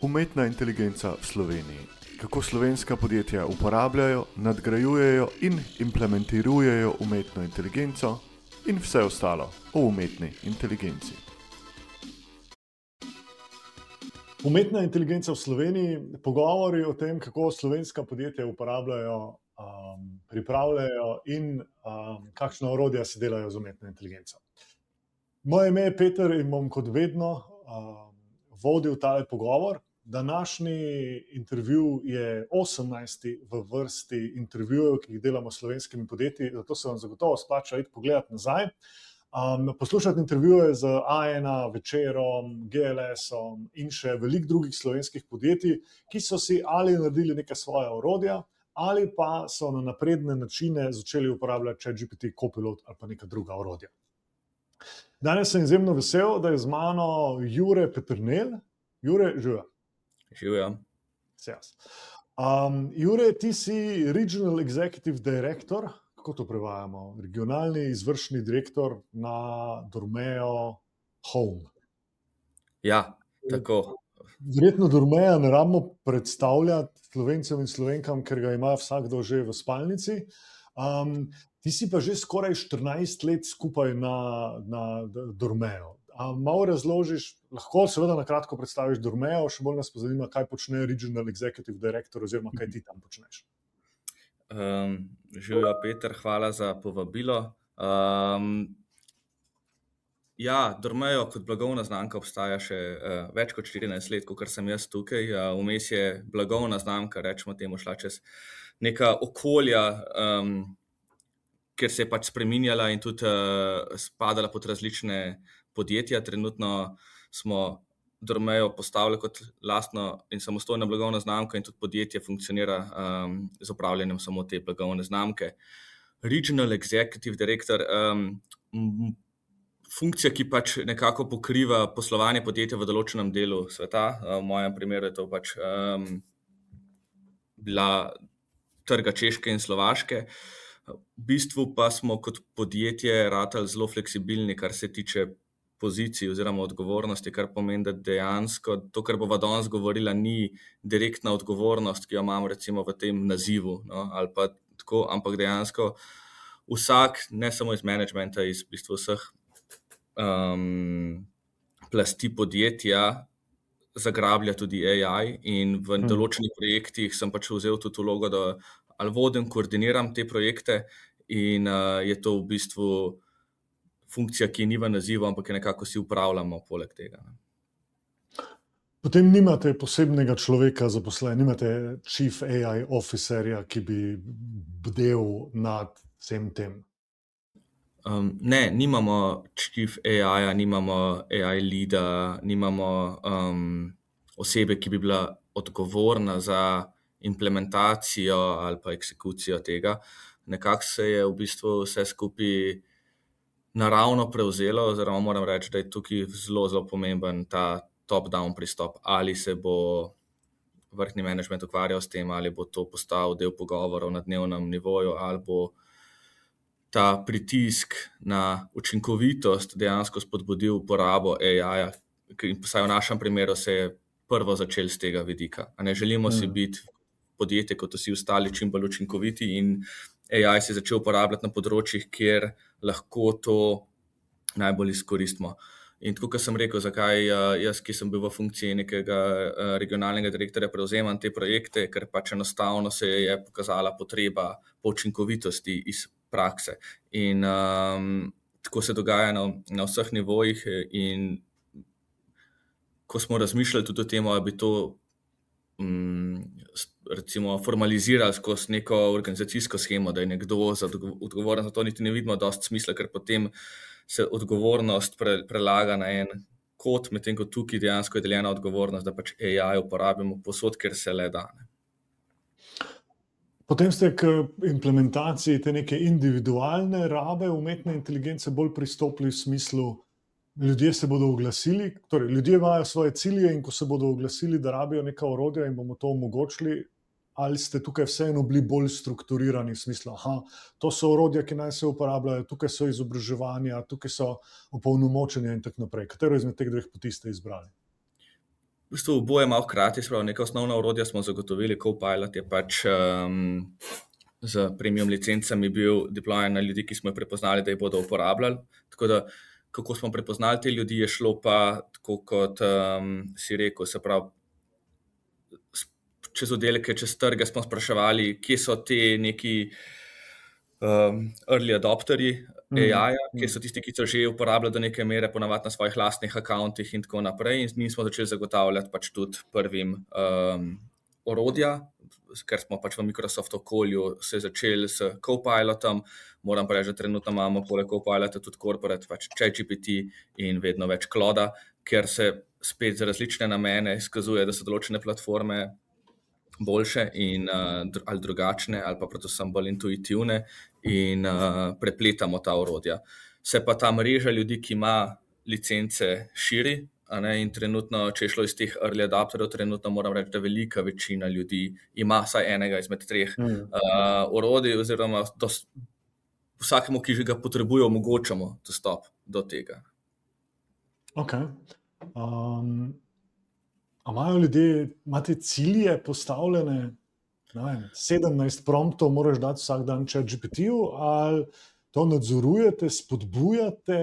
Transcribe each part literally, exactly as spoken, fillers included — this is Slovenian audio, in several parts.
Umetna inteligenca v Sloveniji. Kako slovenska podjetja uporabljajo, nadgrajujejo in implementirajo umetno inteligenco in vse ostalo o umetni inteligenci. Umetna inteligenca v Sloveniji, pogovori o tem, kako slovenska podjetja uporabljajo, um, pripravljajo in um, kakšna orodja se delajo z umetno inteligenco. Moje ime je Peter in bom kot vedno um, vodil tale pogovor. Današnji intervju je osemnajsti v vrsti intervjujev, ki jih delamo s slovenskimi podjetji, zato se vam zagotovo splača iti pogledati nazaj. Um, poslušati intervjuje z A ena, Večerom, G L S-om in še veliko drugih slovenskih podjetij, ki so si ali naredili neka svoja orodja, ali pa so na napredne načine začeli uporabljati ChatGPT, Copilot ali pa neka druga orodja. Danes sem izjemno vesel, da je z mano Jure Peternelj. Jure, živijo. Živijo. Um, Jure, ti si Regional Executive Director, kako to prevajamo? Regionalni izvršni direktor na Dormeo Home. Ja, tako. Verjetno Dormeja ne rabimo predstavljati Slovencem in Slovenkam, ker ga ima vsakdo že v spalnici. Um, ti si pa že skoraj štirinajst let skupaj na, na Dormeo. Um, malo razložiš, lahko seveda na kratko predstaviš Dormeo, še bolj nas pa zanima, kaj počne Regional Executive Director oziroma kaj ti tam počneš. Um, Živijo, Peter, hvala za povabilo. Um, ja, Dormeo kot blagovna znamka obstaja še uh, več kot štirinajst let, kot sem jaz tukaj. Uh, vmes je blagovna znamka, rečemo temu, šla čez neka okolja, um, kjer se je pač spreminjala in tudi uh, spadala pod različne podjetja. Trenutno smo Dormeo postavili kot lastno in samostojno blagovno znamko in tudi podjetje funkcionira um, z upravljanjem samo te blagovne znamke. Regional Executive Director, um, funkcija, ki pač nekako pokriva poslovanje podjetja v določenem delu sveta. V mojem primeru je to pač um, bila trga Češke in Slovaške. V bistvu pa smo kot podjetje ratali zelo fleksibilni, kar se tiče pozicij oziroma odgovornosti, kar pomeni, da dejansko to, kar bova danes govorila, ni direktna odgovornost, ki jo imam recimo v tem nazivu, no, ali pa tako, ampak dejansko vsak, ne samo iz managementa, iz v bistvu vseh um, plasti podjetja zagrablja tudi A I in v hmm. določenih projektih sem pač vzel tudi vlogo, da ali vodim, koordiniram te projekte in uh, je to v bistvu funkcija, ki ni v nazivu, ampak je nekako si upravljamo poleg tega. Potem nimate posebnega človeka zaposlenega, nimate chief A I officerja, ki bi bdel nad vsem tem? Um, ne, nimamo chief A I-ja, nimamo A I leada, nimamo um, osebe, ki bi bila odgovorna za implementacijo ali pa eksekucijo tega. Nekako se je v bistvu vse skupaj naravno prevzelo, oziroma moram reči, da je tukaj zelo, zelo pomemben ta top-down pristop, ali se bo vrhni management ukvarjal s tem, ali bo to postal del pogovorov na dnevnem nivoju, ali bo ta pritisk na učinkovitost dejansko spodbudil uporabo A I-ja, ki vsaj v našem primeru se je prvo začel z tega vidika. A ne želimo hmm. si biti podjetje kot vsi ostali čim bolj učinkoviti in A I se je začel uporabljati na področjih, kjer lahko to najbolj izkoristimo. In tako, kot sem rekel, zakaj jaz, ki sem bil v funkciji nekega regionalnega direktorja, prevzemam te projekte, ker pač enostavno se je pokazala potreba po učinkovitosti iz prakse. In um, tako se dogaja na, na vseh nivojih in ko smo razmišljali tudi o tem, da bi to um, recimo formalizirali skozi neko organizacijsko shemo, da je nekdo odgovoren za to, niti ne vidimo dosti smisla, ker potem se odgovornost pre, prelaga na en kot, medtem ko tukaj dejansko je deljena odgovornost, da pač A I uporabimo povsod, kjer se le da. Potem ste k implementaciji te neke individualne rabe umetne inteligence bolj pristopili v smislu, ljudje se bodo oglasili, torej ljudje imajo svoje cilje in ko se bodo oglasili, da rabijo neka orodja in bomo to omogočili, ali ste tukaj vseeno bili bolj strukturirani v smislu, aha, to so orodja, ki naj se uporabljajo, tukaj so izobraževanja, tukaj so opolnomočenja in tako naprej. Katero izmed teh dveh poti ste izbrali? v bistvu oboje malo hkrati, spravo neka osnovna orodja smo zagotovili, Copilot je pač um, z premium licencami bil deployen na ljudi, ki smo jih prepoznali, da jih bodo uporabljali. Tako da, kako smo prepoznali te ljudi, je šlo pa tako, kot um, si rekel, se pravi, čez oddelke, čez trge smo spraševali, kje so te neki um, early adopterji A I-ja, kje so tisti, ki so že uporabljali do neke mere, ponavadi na svojih lastnih akauntih in tako naprej. In mi smo začeli zagotavljati pač tudi prvim um, orodja, ker smo pač v Microsoft okolju se začeli s Copilotom. Moram pa reči, da trenutno imamo poleg Copilota tudi corporate, pač ChatGPT in vedno več Clauda, ker se spet za različne namene izkazuje, da so določene platforme boljše in, uh, ali drugačne, ali pa predvsem bolj intuitivne in uh, prepletamo ta orodja. Se pa ta mreža ljudi, ki ima licence, širi, a ne, in trenutno, če je šlo iz teh early adapterjev, trenutno moram reči, da velika večina ljudi ima vsaj enega izmed treh mm. uh, orodij, oziroma dos, vsakemu, ki že ga potrebuje, omogočamo dostop do tega. Ok. Um... A imajo ljudje, imate cilje postavljene, ne vem, sedemnajst promptov moraš dati vsak dan ChatGPT-ju, ali to nadzorujete, spodbujate,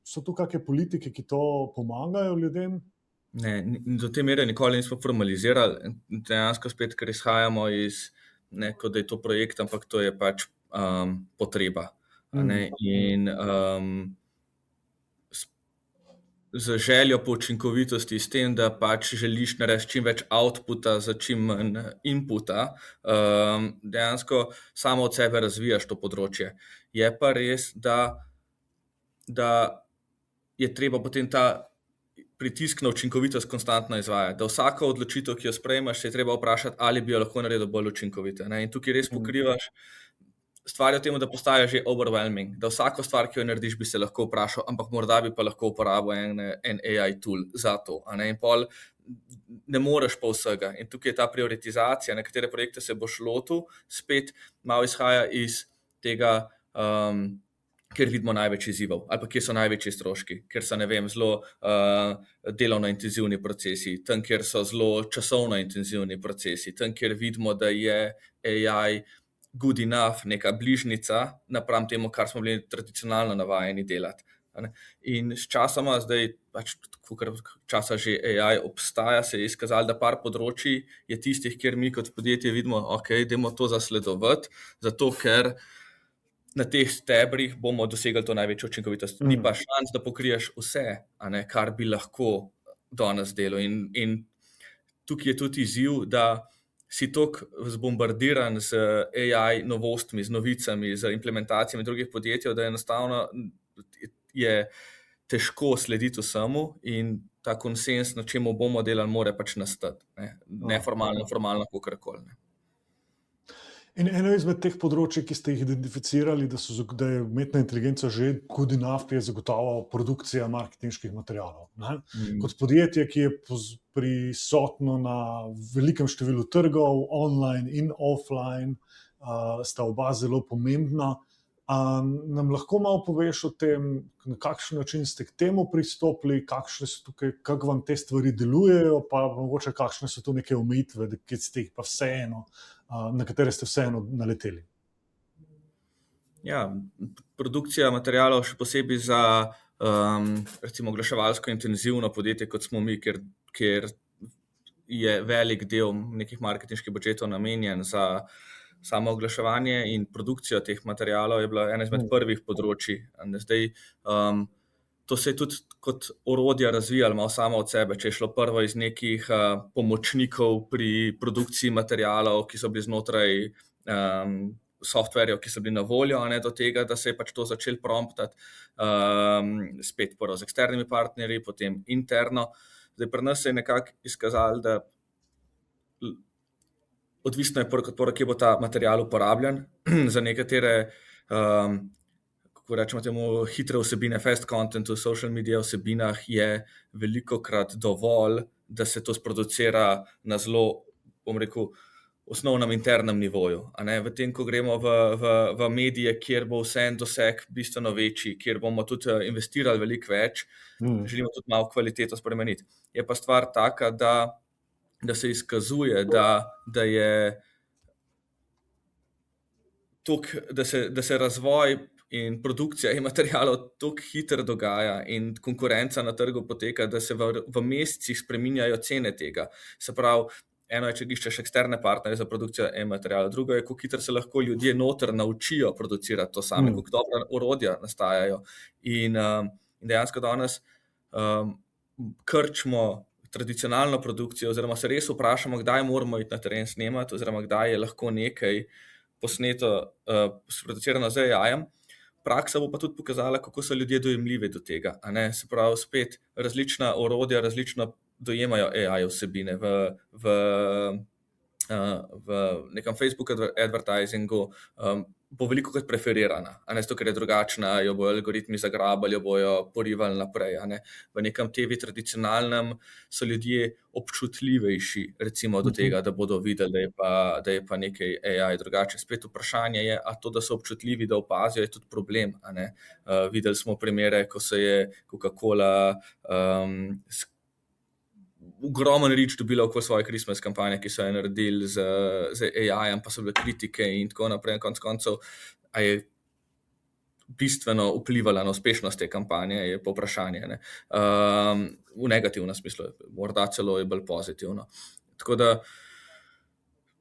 so tu kakšne politike, ki to pomagajo ljudem? Ne, do te mere nikoli nismo formalizirali, dejansko spet, ker izhajamo iz, ne, kot da je to projekt, ampak to je pač um, potreba. A ne, in um, z željo po učinkovitosti, s tem, da pač želiš narediti čim več outputa za čim manj inputa, um, dejansko samo od sebe razvijaš to področje. Je pa res, da, da je treba potem ta pritisk na učinkovitost konstantno izvajati, da vsako odločitev, ki jo sprejmeš, se je treba vprašati, ali bi jo lahko naredil bolj učinkovito. Ne? In tukaj res pokrivaš stvar je v tem, da postaja že overwhelming, da vsako stvar, ki jo narediš, bi se lahko vprašal, ampak morda bi pa lahko uporabil en, en A I tool za to. A ne? In pol ne moreš pa vsega. In tukaj je ta prioritizacija, na katere projekte se boš lotil, spet malo izhaja iz tega, um, ker vidimo največ izzivov, ali pa kje so največji stroški, ker so, ne vem, zelo uh, delovno intenzivni procesi, tam, kjer so zelo časovno intenzivni procesi, tam, kjer vidimo, da je A I good enough, neka bližnica napram temu, kar smo bili tradicionalno navajeni delati. In s časoma, zdaj pač kar časa že A I obstaja, se je izkazalo, da par področji je tistih, kjer mi kot podjetje vidimo, ok, dajmo to zasledovati, zato ker na teh stebrih bomo dosegli to največjo učinkovitost. Mm. Ni pa šans, da pokriješ vse, a ne, kar bi lahko danes delal. In, in tukaj je tudi izziv, da si toliko zbombardiran z A I novostmi, z novicami, z implementacijami drugih podjetij, da enostavno je težko slediti vsemu in ta konsens, na čemu bomo delali, more pač nastati. Ne? Neformalno, formalno, kakorkoli. In eno izmed teh področji, ki ste jih identificirali, da, so, da je umetna inteligenca že good enough, je zagotovo produkcija marketinških materialov. Mm. Kot podjetje, ki je prisotno na velikem številu trgov, online in offline, uh, sta oba zelo pomembna. Um, nam lahko malo poveš o tem, na kakšen način ste k temu pristopili, kakšne so tukaj, kako vam te stvari delujejo, pa mogoče kakšne so tu neke omejitve, ki ste jih pa vseeno, uh, na katere ste vseeno naleteli. Ja, produkcija materialov še posebej za um, recimo oglaševalsko intenzivno podjetje, kot smo mi, ker, ker je velik del nekih marketinških budžetov namenjen za samo oglaševanje in produkcijo teh materialov je bila ena izmed prvih področji. Zdaj, um, to se je tudi kot orodja razvijalo malo samo od sebe, če je šlo prvo iz nekih uh, pomočnikov pri produkciji materialov, ki so bili znotraj um, softverjev, ki so bili na voljo, a ne do tega, da se je pač to začel promptati um, spet prvo z eksternimi partnerji, potem interno. Zdaj, pri nas se je nekako izkazalo, da odvisno je prvo, kje bo ta material uporabljen. Za nekatere, um, kako rečemo temu, hitre vsebine, fast content v social media vsebinah je velikokrat dovolj, da se to sproducira na zelo, bom rekel, osnovnem internem nivoju. A ne? V tem, ko gremo v, v, v medije, kjer bo vse en doseg bistveno večji, kjer bomo tudi investirali veliko več, mm. želimo tudi malo kvaliteto spremeniti. Je pa stvar taka, da, da se izkazuje, da, da je tok, da se, da se razvoj in produkcija e-materialov tako hitro dogaja in konkurenca na trgu poteka, da se v, v mesecih spreminjajo cene tega. Se pravi, eno je, če iščeš eksterne partnerje za produkcijo e-materialov, drugo je, kako hitro se lahko ljudje noter naučijo producirati to same, mm. kako dobra orodja nastajajo. In, um, in dejansko danes um, krčimo tradicionalno produkcijo, oziroma se res vprašamo, kdaj moramo iti na teren snemati, oziroma kdaj je lahko nekaj posneto, uh, sproducirano z A I-jem. Praksa bo pa tudi pokazala, kako so ljudje dojemljivi do tega. A ne? Se pravi, spet različna orodja, različno dojemajo A I vsebine v, v, uh, v nekem Facebook advertisingu, um, bo veliko kot preferirana, a ne, zato, ker je drugačna, jo bojo algoritmi zagrabali, jo bojo porivali naprej. A ne. V nekem T V tradicionalnem so ljudje občutljivejši, recimo do tega, da bodo videli, da je pa, da je pa nekaj A I drugače. Spet vprašanje je, a to, da so občutljivi, da opazijo, je tudi problem. A ne. Uh, videli smo primere, ko se je Coca-Cola um, ogromen reach dobila okoli svoje Christmas kampanje, ki so jo naredili z, z A I-jem, pa so bile kritike in tako naprej. Konec koncev, a je bistveno vplivala na uspešnost te kampanje, je pa vprašanje. Ne? Um, v negativnem smislu, morda celo je bolj pozitivno. Tako da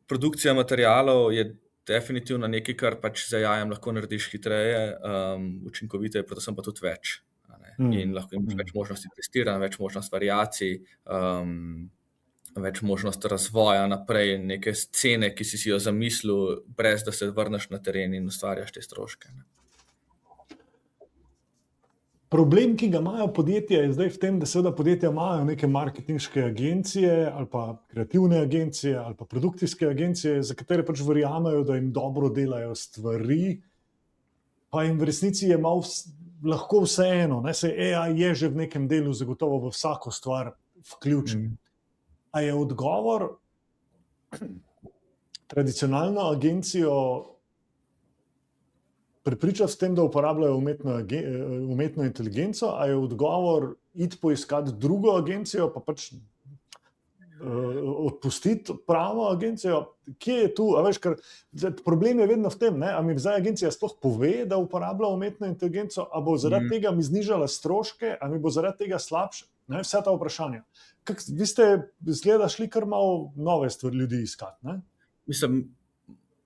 produkcija materialov je definitivno nekaj, kar pač z A I-jem lahko narediš hitreje, um, učinkoviteje, predvsem pa tudi več. In lahko imaš več možnosti testiranja, več možnosti variacij, um, več možnosti razvoja naprej, neke scene, ki si si jo zamislil, brez da se vrneš na teren in ustvarjaš te stroške. Ne. Problem, ki ga imajo podjetja, je zdaj v tem, da seveda podjetja imajo neke marketinške agencije ali pa kreativne agencije ali pa produkcijske agencije, za katere pač verjamejo, da jim dobro delajo stvari, pa jim v resnici je malo lahko vseeno, ne, se A I je že v nekem delu zagotovo v vsako stvar vključen. Mm. A je odgovor tradicionalno agencijo prepričati s tem, da uporabljajo umetno, umetno inteligenco, a je odgovor iti poiskati drugo agencijo, pa pač odpustiti pravo agencijo, kje je tu, a veš, ker problem je vedno v tem, ne, a mi zdaj agencija sploh pove, da uporablja umetno inteligenco, a bo zaradi mm. tega mi znižala stroške, a mi bo zaradi tega slabše, ne, vse ta vprašanja. Kak, vi ste, zgleda, šli kar malo nove stvari ljudi iskati, ne? Mislim,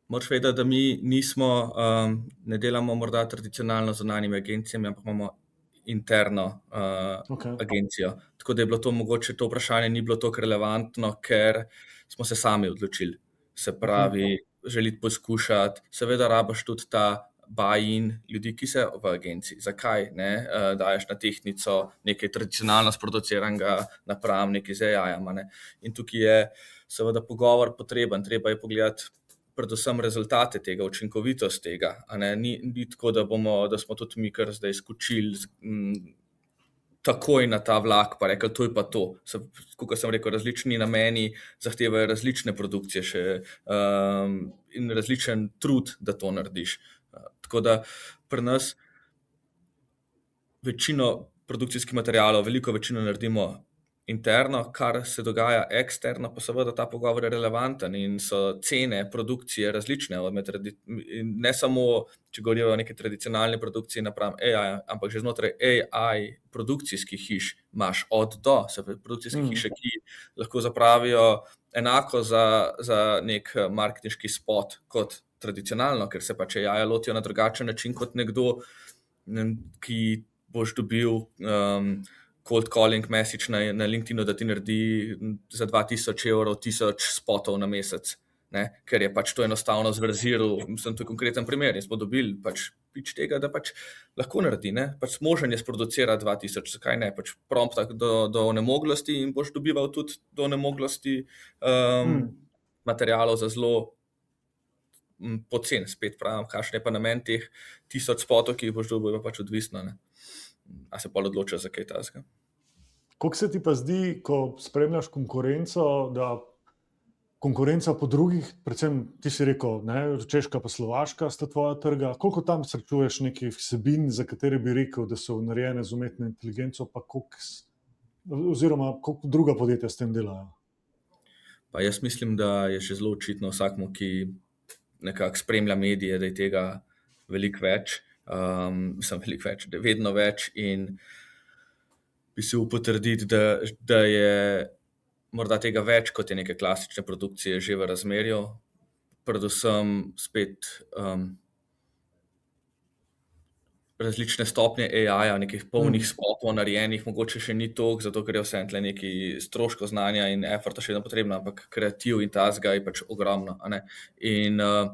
moraš vedeti, da mi nismo, um, ne delamo morda tradicionalno z zunanjimi agencijami, ampak imamo interno uh, okay. agencijo. Tako da je bilo to mogoče, to vprašanje ni bilo toliko relevantno, ker smo se sami odločili. Se pravi, okay. želiti poskušati, seveda rabaš tudi ta buy-in ljudi, ki se v agenciji. Zakaj ne? Uh, daješ na tehnico nekaj tradicionalno sproduciranega napram, nekaj z A I-jem. Ne? In tukaj je seveda pogovor potreben, treba je pogledati predvsem rezultate tega, učinkovitost tega. A ne? Ni, ni tako, da, bomo, da smo tudi mi kar zdaj skočili m, takoj na ta vlak, pa rekli, to je pa to. Kot sem rekel, različni nameni zahtevajo različne produkcije še, um, in različen trud, da to narediš. Uh, tako da pri nas večino produkcijskih materialov, veliko večino naredimo interno, kar se dogaja eksterno, pa seveda ta pogovor je relevanten in so cene produkcije različne. Ne samo, če govorijo o neki tradicionalni produkciji napram A I, ampak že znotraj A I produkcijskih hiš imaš od do, se pravi produkcijske mm. hiše, ki lahko zapravijo enako za, za nek marketinški spot kot tradicionalno, ker se pač A I lotijo na drugačen način kot nekdo, ki boš dobil um, cold calling message na, na LinkedInu, da ti naredi za dva tisoč evrov tisoč spotov na mesec, ne? Ker je pač to enostavno zverziral, mislim, to je konkreten primer in smo dobili pač pič tega, da pač lahko naredi, ne? Pač možen je sproducirati dva tisoč, zakaj ne, pač prompta do, do onemoglosti in boš dobival tudi do onemoglosti um, hmm. materialov za zelo m, pocen, spet pravim, kakšen je pa namen teh tisoč spotov, ki jih boš dobil, pač odvisno, ne? A se pa odloča za kaj tasga. Kako se ti pa zdi, ko spremljaš konkurenco, da konkurenca po drugih, predvsem ti si rekel, ne, Češka pa Slovaška sta tvoja trga. Koliko tam srečuješ nekih vsebin, za katere bi rekel, da so narejene z umetno inteligenco, pa koliko, oziroma koliko druga podjetja s tem delajo? Pa jaz mislim, da je še zelo očitno vsakmu, ki nekako spremlja medije, da je tega veliko več, um, sem veliko več, da je vedno več in bi si upal potrditi, da, da je morda tega več, kot je neke klasične produkcije že v razmerju, predvsem spet um, različne stopnje A I-ja, nekih polnih Mm. spotov narejenih, mogoče še ni toliko, zato ker je vse tle neki stroško znanja in efforta še vedno potrebno, ampak kreativ in tazga je pač ogromno, a ne. In uh,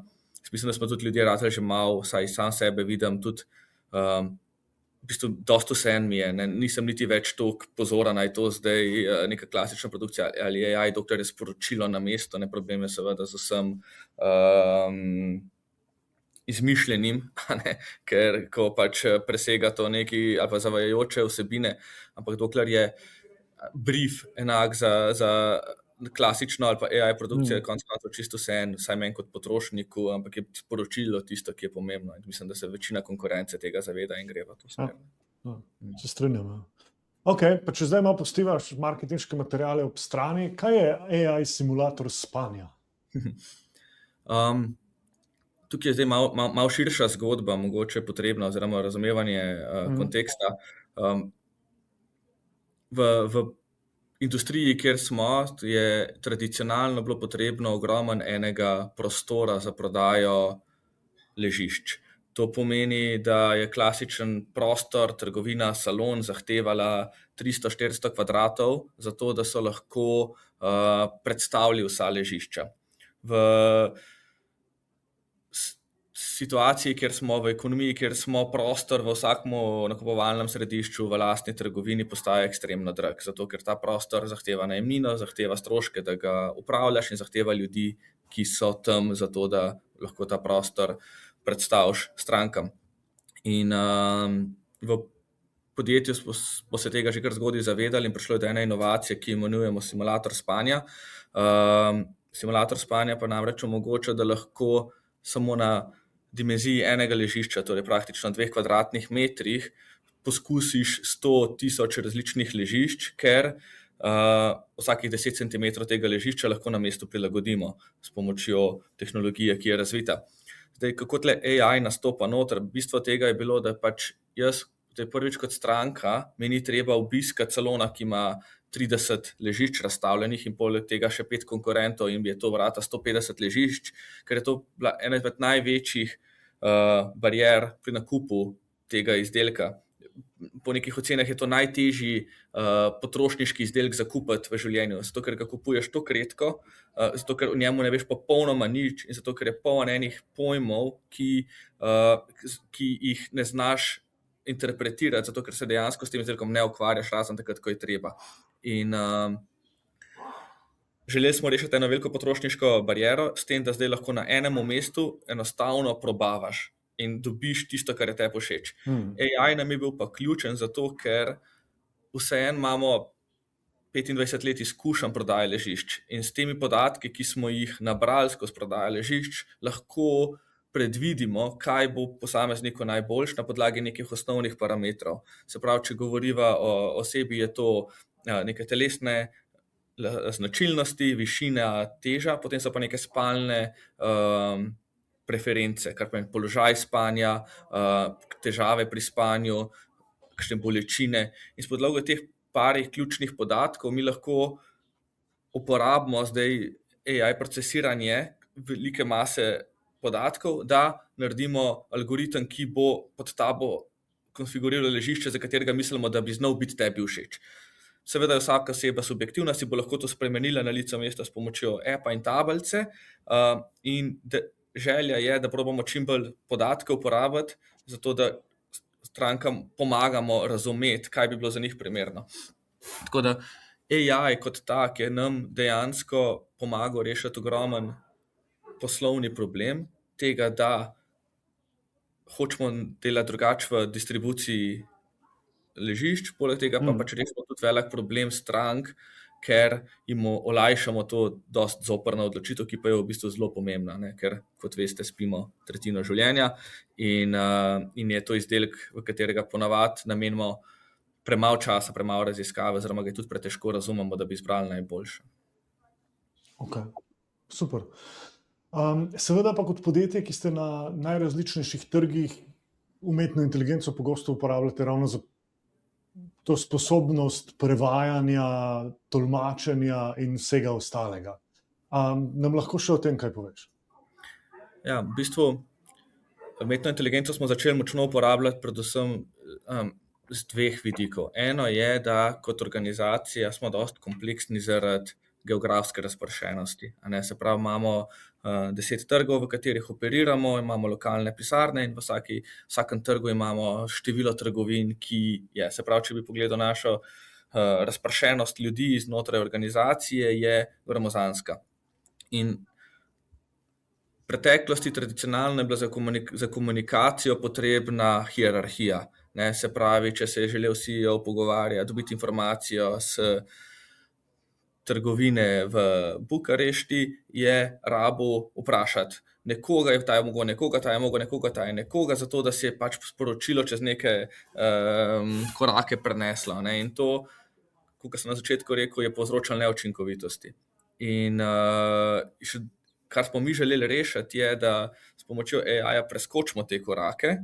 mislim, da smo tudi ljudje ratali že malo, saj sam sebe vidim tudi, um, v bistvu dosto vseeno mi je, ne, nisem niti več toliko pozoren, da je to zdaj uh, neka klasična produkcija ali A I, dokler je sporočilo na mesto, ne, problem je seveda z vsem um, izmišljenim, a ne, ker ko pač presega to neki ali pa zavajajoče vsebine, ampak dokler je brief enak za, za klasično ali pa A I produkcijo, je konec koncev čisto vseeno, vsaj meni kot potrošniku, ampak je sporočilo tisto, ki je pomembno. In mislim, da se večina konkurence tega zaveda in gre v to smer. Ja, se strinjam. Ja. Ok, pa če zdaj malo postivaš marketinške materiale ob strani, kaj je A I simulator spanja? um, tukaj je zdaj malo mal, mal širša zgodba, mogoče potrebna, oziroma razumevanje uh, Mm. konteksta. Um, v, v industriji, kjer smo, je tradicionalno bilo potrebno ogromno enega prostora za prodajo ležišč. To pomeni, da je klasičen prostor, trgovina, salon zahtevala tristo štiristo kvadratov, zato da so lahko uh, predstavili vsa ležišča. V situaciji, kjer smo v ekonomiji, kjer smo prostor v vsakem nakupovalnem središču, v lastni trgovini postaja ekstremno drag, zato ker ta prostor zahteva najemnino, zahteva stroške, da ga upravljaš in zahteva ljudi, ki so tam zato, da lahko ta prostor predstaviš strankam. In um, v podjetju smo, smo se tega že kar zgodaj zavedali in prišlo je do ene inovacije, ki imenujemo simulator spanja. Um, simulator spanja pa namreč omogoča, da lahko samo na dimenziji enega ležišča, torej praktično dveh kvadratnih metrih, poskusiš sto tisoč različnih ležišč, ker uh, vsakih deset centimetrov tega ležišča lahko na mestu prilagodimo s pomočjo tehnologije, ki je razvita. Zdaj, kako tle A I nastopa noter? Bistvo tega je bilo, da pač jaz, to je prvič kot stranka, mi ni treba obiskati salona, ki ima trideset ležišč razstavljenih in poleg tega še pet konkurentov in je to vrata sto petdeset ležišč, ker je to bila ena izmed največjih uh, barier pri nakupu tega izdelka. Po nekih ocenah je to najtežji uh, potrošniški izdelek za kupiti v življenju, zato ker ga kupuješ toliko redko, uh, zato ker o njemu ne veš popolnoma nič in zato ker je poln enih pojmov, ki, uh, ki jih ne znaš interpretirati, zato ker se dejansko s tem izdelkom ne ukvarjaš, razen takrat, ko je treba. In um, želeli smo rešiti eno veliko potrošniško bariero s tem, da zdaj lahko na enem mestu enostavno probavaš in dobiš tisto, kar je tebi všeč. Hmm. A I nam je bil pa ključen zato, ker vseeno imamo petindvajset let izkušenj prodaje ležišč in s temi podatki, ki smo jih nabrali skozi prodaje ležišč, lahko predvidimo, kaj bo posamezniku najboljš na podlagi nekih osnovnih parametrov. Se pravi, če govoriva o osebi, je to neke telesne značilnosti, višina, teža, potem so pa neke spalne um, preference, kar pomeni položaj spanja, uh, težave pri spanju, kakšne bolečine. In s podlagom teh parih ključnih podatkov mi lahko uporabimo zdaj A I procesiranje velike mase podatkov, da naredimo algoritem, ki bo pod tabo konfiguriral ležišče, za katerega mislimo, da bi znal biti tebi všeč. Seveda je vsaka oseba subjektivna, si bo lahko to spremenila na licu mesta s pomočjo appa in tablice uh, in de, želja je, da probamo čim bolj podatke uporabiti, zato da strankam pomagamo razumeti, kaj bi bilo za njih primerno. Tako da A I kot tak je nam dejansko pomagal rešiti ogromen poslovni problem tega, da hočemo delati drugače v distribuciji ležišč, poleg tega pa Mm. pač rešimo tudi velik problem strank, ker jim olajšamo to dosti zoprno odločitev, ki pa je v bistvu zelo pomembna, ne? Ker, kot veste, spimo tretjino življenja in, uh, in je to izdelek, v katerega ponavadi namenimo premalo časa, premalo raziskave, oziroma ga tudi pretežko razumemo, da bi izbrali najboljše. Ok, super. Um, seveda pa kot podjetje, ki ste na najrazličnejših trgih, umetno inteligenco pogosto uporabljate ravno za to sposobnost prevajanja, tolmačenja in vsega ostalega. Um, nam lahko še o tem kaj poveš? Ja, v bistvu umetno inteligenco smo začeli močno uporabljati predvsem um, z dveh vidikov. Eno je, da kot organizacija smo dosti kompleksni zaradi geografske razpršenosti. A ne, se pravi, imamo uh, deset trgov, v katerih operiramo, imamo lokalne pisarne in v vsaki, vsakem trgu imamo število trgovin, ki je. Se pravi, če bi pogledal našo uh, razpršenost ljudi znotraj organizacije, je gromozanska. In v preteklosti tradicionalno je bila za, komunik- za komunikacijo potrebna hierarhija. Ne, se pravi, če se je želel C E O pogovarjati, dobiti informacijo s trgovine v Bukarešti, je rabo vprašati nekoga, ta je mogel nekoga, ta je mogel nekoga, ta je nekoga, zato da se je pač sporočilo čez neke um, korake preneslo. Ne? In to, kot sem na začetku rekel, je povzročalo neučinkovitosti. In uh, še, kar smo mi želeli rešiti, je, da s pomočjo A I-ja preskočimo te korake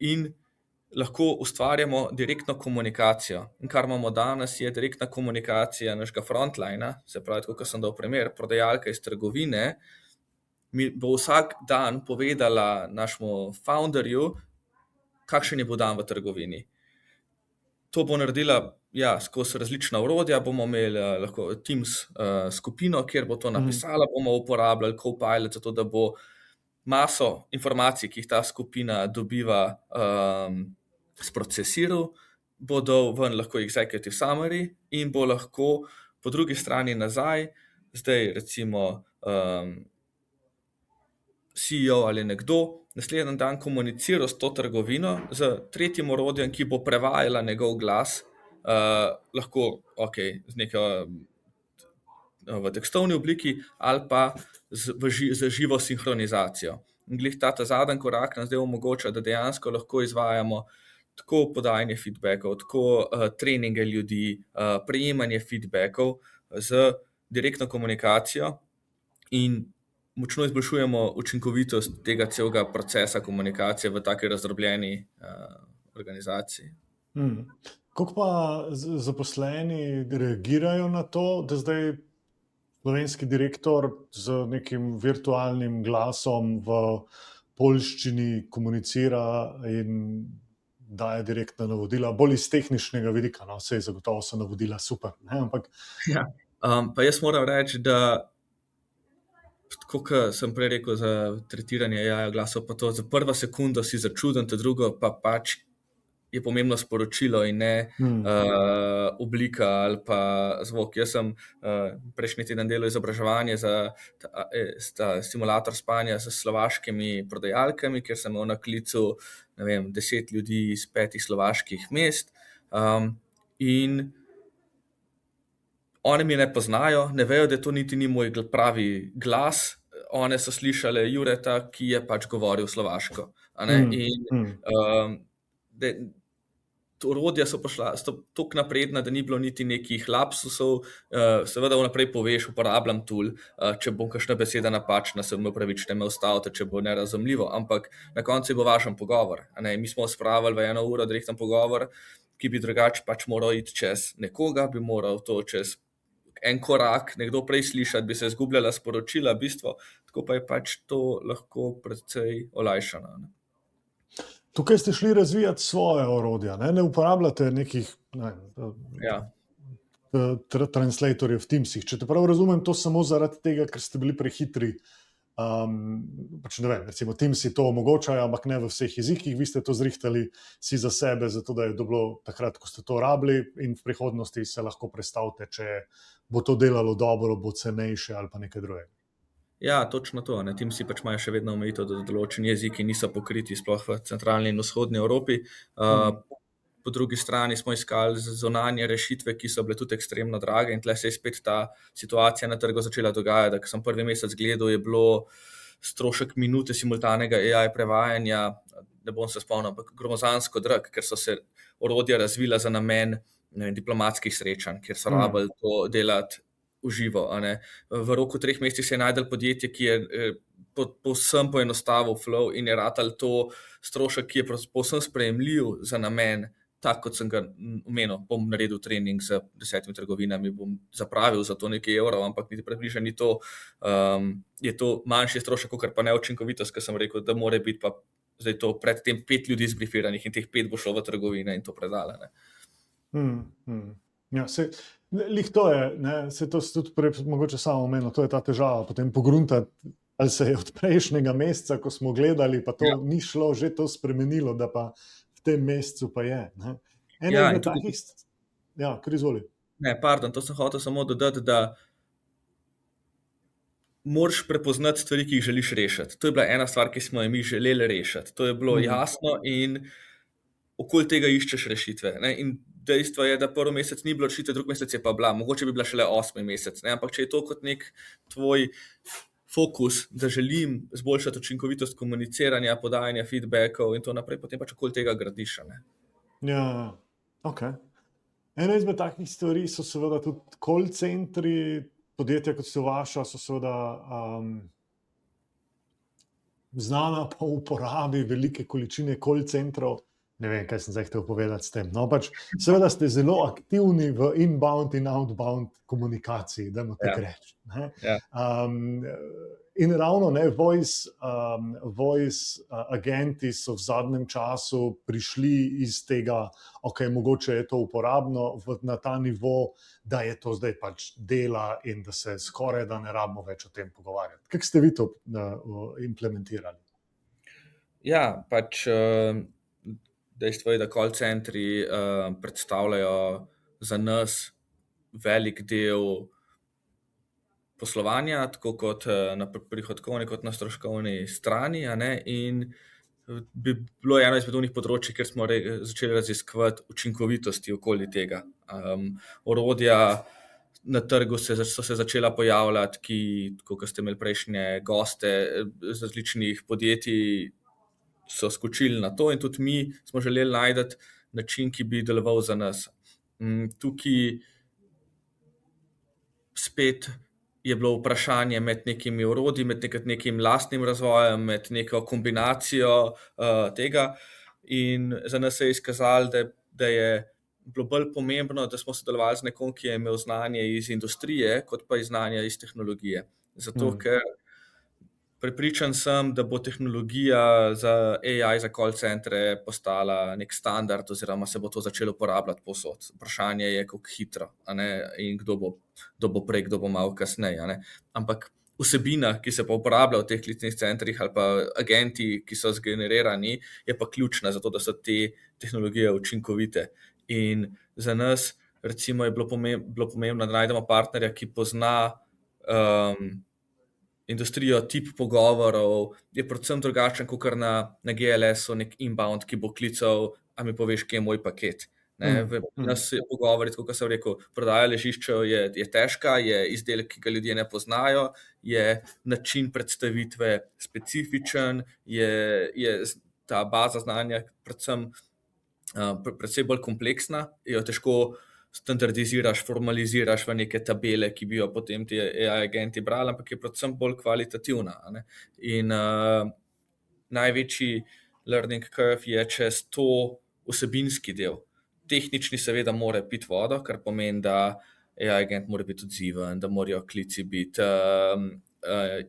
in lahko ustvarjamo direktno komunikacijo. In kar imamo danes, je direktna komunikacija našega frontlina, se pravi, kot sem dal primer, prodajalka iz trgovine, mi bo vsak dan povedala našemu founderju, kakšen je bo dan v trgovini. To bo naredila ja, skozi različna orodja, bomo imeli lahko Teams uh, skupino, kjer bo to napisala, bomo uporabljali Copilot, zato da bo maso informacij, ki jih ta skupina dobiva, um, sprocesiral, bo dal ven lahko executive summary in bo lahko po drugi strani nazaj, zdaj recimo um, C E O ali nekdo, naslednji dan komuniciral s to trgovino, z tretjim orodjem, ki bo prevajala njegov glas, uh, lahko okay, z neko v tekstovni obliki ali pa z, v ži, z živo sinhronizacijo. In glih ta, ta zadnji korak nam zdaj omogoča, da dejansko lahko izvajamo tako podajanje feedbackov, tako uh, treninge ljudi, uh, prejemanje feedbackov z direktno komunikacijo in močno izboljšujemo učinkovitost tega celega procesa komunikacije v taki razdrobljeni uh, organizaciji. Hmm. Kako pa zaposleni reagirajo na to, da zdaj slovenski direktor z nekim virtualnim glasom v poljščini komunicira in daje direktna navodila, bolj iz tehničnega vidika, no, vse zagotovo so navodila super, ne, ampak... Ja, um, pa jaz moram reči, da tako, kot sem prej rekel za tretiranje A I glasov, pa to za prvo sekundo si začuden, to drugo pa pač je pomembno sporočilo in ne hmm. uh, oblika ali pa zvok. Jaz sem uh, prejšnji teden delal izobraževanje za ta, ta simulator spanja s slovaškimi prodajalkami, kjer sem imel na klicu ne vem, deset ljudi iz petih slovaških mest um, in one mi ne poznajo, ne vejo, da to niti ni moj pravi glas, one so slišale Jureta, ki je pač govoril slovaško. A ne? Hmm. In um, de, orodja so pošla toliko napredna, da ni bilo niti nekih lapsusov, uh, seveda vnaprej poveš, uporabljam tool, uh, če bom kakšna beseda napačna, se me upravičite, me ustavite, če bo nerazumljivo, ampak na koncu bo vašen pogovor. A ne? Mi smo spravili v eno uro direkten pogovor, ki bi drugače pač moral iti čez nekoga, bi moral to čez en korak, nekdo prej slišati, bi se izgubljala sporočila, bistvo, tako pa je pač to lahko precej olajšano. Ne? Tukaj ste šli razvijati svoje orodja, ne, ne uporabljate nekih ne, ja. translatorjev v Teamsih. Če te prav razumem, to samo zaradi tega, ker ste bili prehitri. Um, pač ne vem, recimo Teamsi to omogočajo, ampak ne v vseh jezikih. Vi ste to zrihtali si za sebe, zato da je bilo takrat, ko ste to rabili in v prihodnosti se lahko predstavite, če bo to delalo dobro, bo cenejše ali pa nekaj drugega. Ja, točno to. Ne. Teamsi pač imajo še vedno omejitev, da določeni jeziki niso pokriti, sploh v centralni in vzhodni Evropi. Uh, po drugi strani smo iskali zunanje rešitve, ki so bile tudi ekstremno drage in tle se je spet ta situacija na trgu začela dogajati, da ko sem prvi mesec gledal, je bilo strošek minute simultanega A I prevajanja, ne bom se spomnil, ampak gromozansko drag, ker so se orodja razvila za namen ne vem, diplomatskih srečanj, kjer so Mm. rabili to delati v živo. A ne. V roku treh mesecih se je najdel podjetje, ki je eh, po- povsem poenostavil flow in je ratal to strošek, ki je pros- povsem sprejemljiv za namen, tak kot sem ga mm, omenil, bom naredil trening z desetimi trgovinami, bom zapravil za to nekaj evrov, ampak niti približno ni to, um, je to manjši strošek, kot pa neučinkovitost, ker sem rekel, da mora biti pa zdaj to predtem pet ljudi zbrifiranih in teh pet bo šlo v trgovine in to predale. Ne. Mm, mm. Ja, se, lih to je, ne, se to si tudi prej mogoče samo omenil, to je ta težava, potem pogruntati, ali se je od prejšnjega meseca, ko smo gledali, pa to Ja. ni šlo, že to spremenilo, da pa v tem mesecu pa je. Ne. Ena Ja, in izmed tudi- takih, st- ja, kar izvoli. Ne, pardon, to sem hotel samo dodati, da moraš prepoznati stvari, ki jih želiš rešiti. To je bila ena stvar, ki smo jo mi želeli rešiti. To je bilo Mhm. jasno in okoli tega iščeš rešitve. Ne? In dejstvo je, da prvi mesec ni bilo rešitve, drugi mesec je pa bila. Mogoče bi bila šele osmi mesec. Ne? Ampak če je to kot nek tvoj fokus, da želim zboljšati učinkovitost komuniciranja, podajanja feedbackov in to naprej, potem pač okoli tega gradiš. a Ne? Ja, ok. Ena izmed takih stvari so seveda tudi call centri, podjetja kot so vaša, so seveda um, znana po uporabi velike količine call centrov. Ne vem, kaj sem zdaj hotel povedati s tem. No, pač, seveda ste zelo aktivni v inbound in outbound komunikaciji, da tako Ja. reči. ne. Ja. Um, in ravno ne, voice, um, voice uh, agenti so v zadnjem času prišli iz tega, ok, mogoče je to uporabno v, na ta nivo, da je to zdaj pač dela in da se skoraj da ne rabimo več o tem pogovarjati. Kako ste vi to uh, implementirali? Ja, pač eh, dejstvo je, da call centri eh, predstavljajo za nas velik del poslovanja, tako kot eh, na pr- prihodkovni, kot na stroškovni strani. A ne? In eh, bi bilo eno izmed unih področji, kjer smo re, začeli raziskovati učinkovitosti okoli tega. Um, orodja na trgu se, zač- so se začela pojavljati, ki, kot ste imeli prejšnje goste eh, z različnih podjetij, so skočili na to in tudi mi smo želeli najti način, ki bi deloval za nas. Mm, Tukaj spet je bilo vprašanje med nekimi orodji, med nekaj- nekim lastnim razvojem, med neko kombinacijo uh, tega. In za nas se je izkazalo, da, da je bilo bolj pomembno, da smo sodelovali z nekom, ki je imel znanje iz industrije, kot pa iz znanja iz tehnologije. Zato, Mm. ker prepričan sem, da bo tehnologija za A I, za call centre postala nek standard oziroma se bo to začelo uporabljati povsod. Vprašanje je, kako hitro, a ne, in kdo bo, kdo bo prej, kdo bo malo kasneje. a ne. Ampak vsebina, ki se pa uporablja v teh klicnih centrih ali pa agenti, ki so zgenerirani, je pa ključna za to, da so te tehnologije učinkovite. In za nas recimo je bilo pomembno, bilo pomembno da najdemo partnerja, ki pozna um, industrijo, tip pogovorov, je predvsem drugačen kot na, na G L S-u, nek inbound, ki bo klical, a mi poveš, kje je moj paket. Ne, Mm, v mm. nas se pogovori, kot sem rekel, prodaja ležiščev je, je težka, je izdelek, ki ga ljudje ne poznajo, je način predstavitve specifičen, je, je ta baza znanja predvsem uh, pre- predvsem bolj kompleksna, jo težko standardiziraš, formaliziraš v neke tabele, ki bi jo potem ti A I agenti brali, ampak je predvsem bolj kvalitativna. a ne. In uh, največji learning curve je čez to vsebinski del. Tehnični seveda mora piti vodo, kar pomeni, da A I agent mora biti odziven, da morajo klici biti um, uh,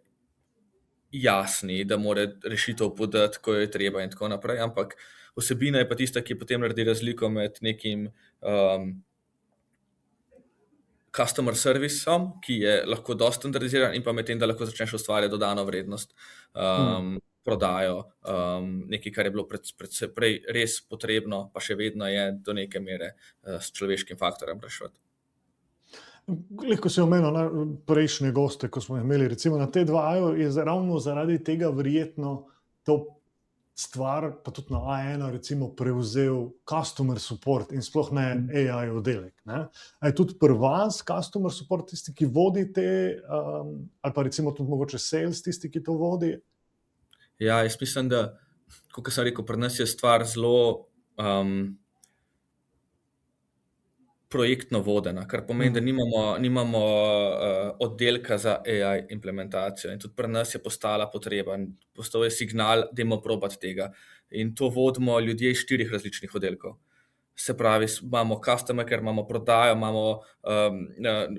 jasni, da mora rešitev podati, ko je treba in tako naprej, ampak vsebina je pa tista, ki potem naredi razliko med nekim um, customer serviceom, ki je lahko dosti standardiziran, in pa med tem, da lahko začneš ustvarjati dodano vrednost, um, prodajo, um, nekaj, kar je bilo pred, pred, prej res potrebno, pa še vedno je do neke mere uh, s človeškim faktorjem rešiti. Ko si omenil na prejšnje goste, ko smo imeli recimo na T dva, je za- ravno zaradi tega verjetno to stvar, pa tudi na A ena recimo prevzel customer support in sploh ne A I oddelek. Ne? A je tudi pri vas customer support tisti, ki vodi te, um, ali pa recimo tudi mogoče sales tisti, ki to vodi? Ja, jaz mislim, da, kot sem rekel, pri nas je stvar zelo um, projektno vodena, kar pomeni, da nimamo, nimamo uh, oddelka za A I implementacijo in tudi pri nas je postala potreba, postal je signal, dajmo probati tega. In to vodimo ljudje iz štirih različnih oddelkov. Se pravi, imamo customer care, imamo prodajo, imamo um,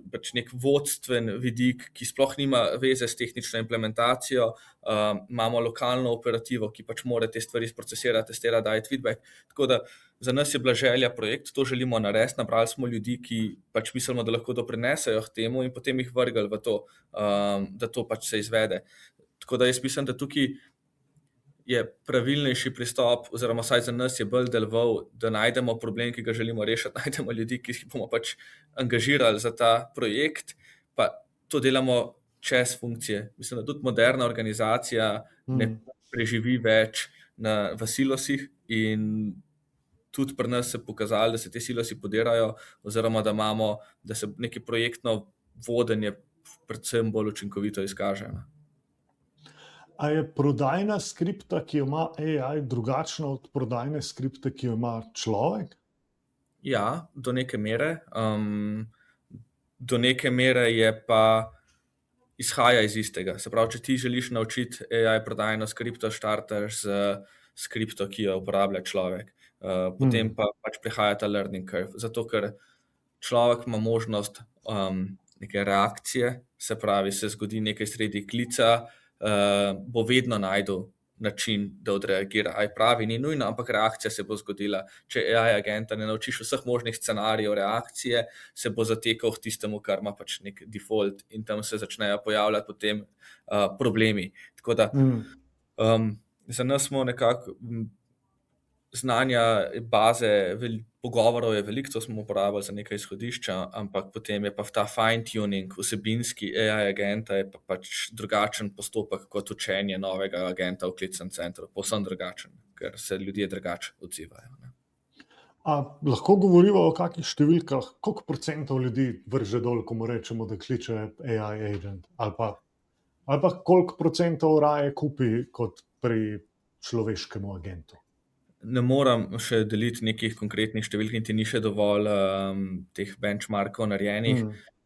pač nek vodstven vidik, ki sploh nima veze s tehnično implementacijo, um, imamo lokalno operativo, ki pač mora te stvari sprocesirati, testirati, dajati feedback. Tako da za nas je bila želja projekt, to želimo narediti, nabrali smo ljudi, ki pač mislimo, da lahko doprinesejo k temu in potem jih vrgli v to, um, da to pač se izvede. Tako da jaz mislim, da tukaj je pravilnejši pristop, oziroma vsaj za nas je bolj deloval, da najdemo problem, ki ga želimo rešiti, najdemo ljudi, ki jih bomo pač angažirali za ta projekt, pa to delamo čez funkcije. Mislim, da tudi moderna organizacija ne preživi več na, v silosih in tudi pri nas se pokazali, da se te silosi podirajo, oziroma da imamo, da se neki projektno vodenje predvsem bolj učinkovito izkaže. A je prodajna skripta, ki jo ima A I, drugačna od prodajne skripte, ki jo ima človek? Ja, do neke mere. Um, do neke mere je pa izhaja iz istega. Se pravi, če ti želiš naučiti A I prodajno skripto, štartaš z skripto, ki jo uporablja človek. Uh, potem hmm. pa pač prihaja ta learning curve. Zato, ker človek ima možnost um, neke reakcije, se pravi, se zgodi nekaj sredi klica, Uh, bo vedno najdel način, da odreagira. A je pravi, ni nujno, ampak reakcija se bo zgodila. Če A I agenta ne naučiš vseh možnih scenarijev reakcije, se bo zatekal v tistemu, kar ima pač nek default in tam se začnejo pojavljati potem uh, problemi. Tako da mm. um, za nas smo nekako znanja, baze, vel, pogovorov je veliko, to smo uporabljali za nekaj izhodišča, ampak potem je pa ta fine tuning, vsebinski A I agenta je pa pač drugačen postopek kot učenje novega agenta v klicnem centru, povsem drugačen, ker se ljudje drugače odzivajo. Ne. A lahko govorimo o kakih številkah, koliko procentov ljudi vrže dol, ko mu rečemo, da kliče A I agent, ali pa, ali pa koliko procentov raje kupi kot pri človeškemu agentu? Ne moram še deliti nekih konkretnih številk, niti ni še dovolj um, teh benchmarkov narejenih.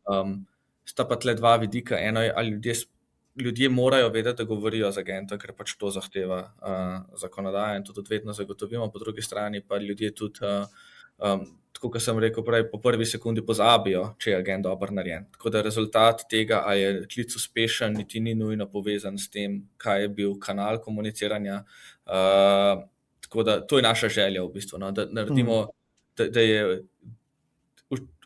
Um, sta pa tle dva vidika. Eno je, ali ljudje, ljudje morajo vedeti, da govorijo z agentom, ker pač to zahteva uh, zakonodaja in to tudi vedno zagotovimo. Po drugi strani pa ljudje tudi, uh, um, tako kot sem rekel prej, po prvi sekundi pozabijo, če je agent dobro narejen. Tako da rezultat tega, a je klic uspešen, niti ni nujno povezan s tem, kaj je bil kanal komuniciranja. Uh, Tako da to je naša želja v bistvu, no? Da naredimo, da, da je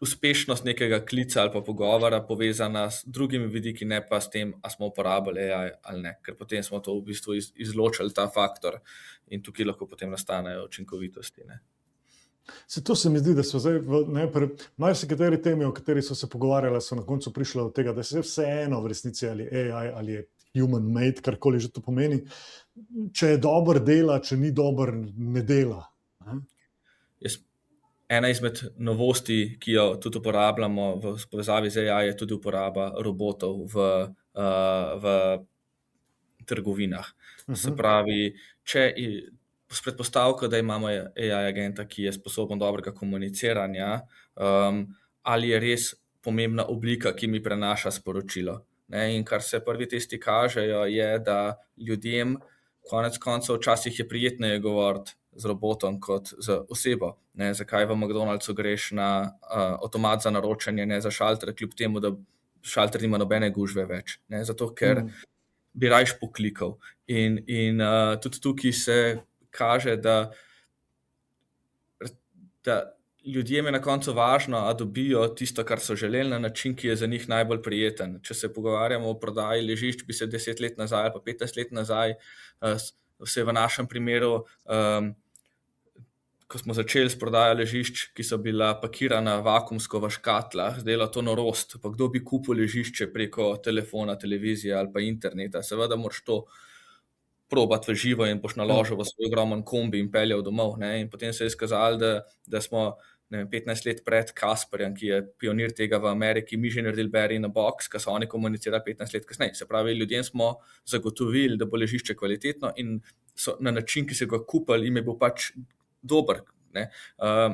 uspešnost nekega klica ali pa pogovora povezana s drugimi vidiki, ne pa s tem, a smo uporabili A I ali ne, ker potem smo to v bistvu iz, izločili ta faktor in tukaj lahko potem nastanejo učinkovitosti. Ne? Se to se mi zdi, da so zdaj v najprej, marsikateri temi, o kateri so se pogovarjali, so na koncu prišli od tega, da se vseeno v resnici ali A I ali je human made, karkoli že to pomeni, če je dober dela, če ni dober, ne dela. Jaz, ena izmed novosti, ki jo tudi uporabljamo v povezavi z A I, je tudi uporaba robotov v, uh, v trgovinah. Uh-huh. Se pravi, če s predpostavko, da imamo A I agenta, ki je sposoben dobrega komuniciranja, um, ali je res pomembna oblika, ki mi prenaša sporočilo. Ne, in kar se prvi testi kažejo, je, da ljudem konec koncev včasih je prijetneje govoriti z robotom kot z osebo. Ne, zakaj v McDonald'su greš na uh, avtomat za naročanje, ne za šalter, kljub temu, da šalter nima nobene gužve več. Ne, zato, ker mm. bi rajš poklikal. In, in uh, tudi tukaj se kaže, da, da ljudjem je na koncu važno, a dobijo tisto, kar so želeli, na način, ki je za njih najbolj prijeten. Če se pogovarjamo o prodaji ležišč, bi se deset let nazaj ali pa petnajst let nazaj, vse v našem primeru, um, ko smo začeli s prodajo ležišč, ki so bila pakirana vakuumsko v škatlah, zdela to norost, pa kdo bi kupil ležišče preko telefona, televizije ali pa interneta. Seveda moraš to probati v živo in boš naložil v svoj ogromen kombi in peljal domov. Ne? In potem se je izkazalo, da, da smo ne vem, petnajst let pred Kasperjem, ki je pionir tega v Ameriki, mi že naredili Berry in a Box, ki so oni komunicirali petnajst let kasneje. Se pravi, ljudem smo zagotovili, da bo ležišče kvalitetno in so na način, ki so ga kupili, jim je bil pač dober. Ne? Uh,